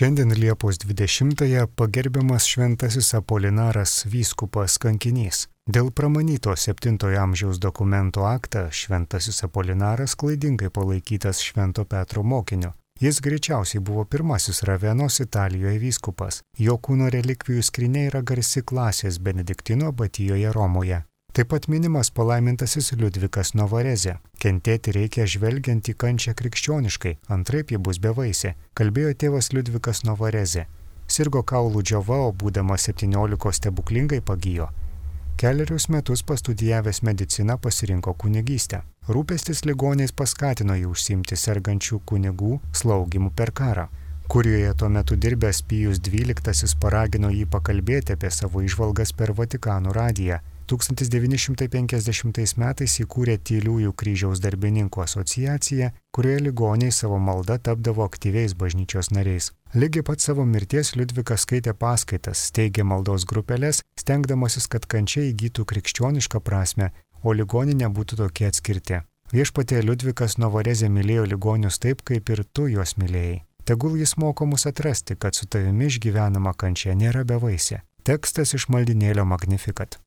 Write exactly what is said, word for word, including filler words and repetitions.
Šiandien Liepos dvidešimtąją pagerbiamas šventasis Apolinaras vyskupas kankinys. Dėl pramanyto septintojo amžiaus dokumento aktą šventasis Apolinaras klaidingai palaikytas Švento Petro mokiniu. Jis greičiausiai buvo pirmasis Ravenos Italijoje vyskupas. Jo kūno relikvijų skrynia yra garsi klasės Benediktino abatijoje Romoje. Taip pat minimas palaimintasis Liudvikas Novarezė. Kentėti reikia žvelgiant į kančią krikščioniškai, antraip ji bus bevaisė, kalbėjo tėvas Liudvikas Novarezė. Sirgo kaulų džiova, o būdamas septyniolikos stebuklingai pagijo. Kelerius metus pastudijavęs mediciną pasirinko kunigystę. Rūpestis ligoniais paskatino jį užsiimti sergančių kunigų slaugimu per karą. Kurijoje tuo metu dirbęs Pijus dvyliktasis paragino jį pakalbėti apie savo įžvalgas per Vatikano radiją. tūkstantis devyni šimtai penkiasdešimtais metais įkūrė Tyliųjų kryžiaus darbininkų asociaciją, kurioje ligoniai savo malda tapdavo aktyviais bažnyčios nariais. Lygiai pat savo mirties Liudvikas skaitė paskaitas, steigė maldos grupelės, stengdamasis, kad kančia įgytų krikščionišką prasme, o ligoniai nebūtų tokie atskirti. Viešpatie Liudvikas Novarezė mylėjo ligonius taip, kaip ir tu juos mylėjai. Tegul jis moko mus atrasti, kad su tavimi išgyvenama kančia nėra bevaisė. Tekstas iš maldinėlio Magnificat.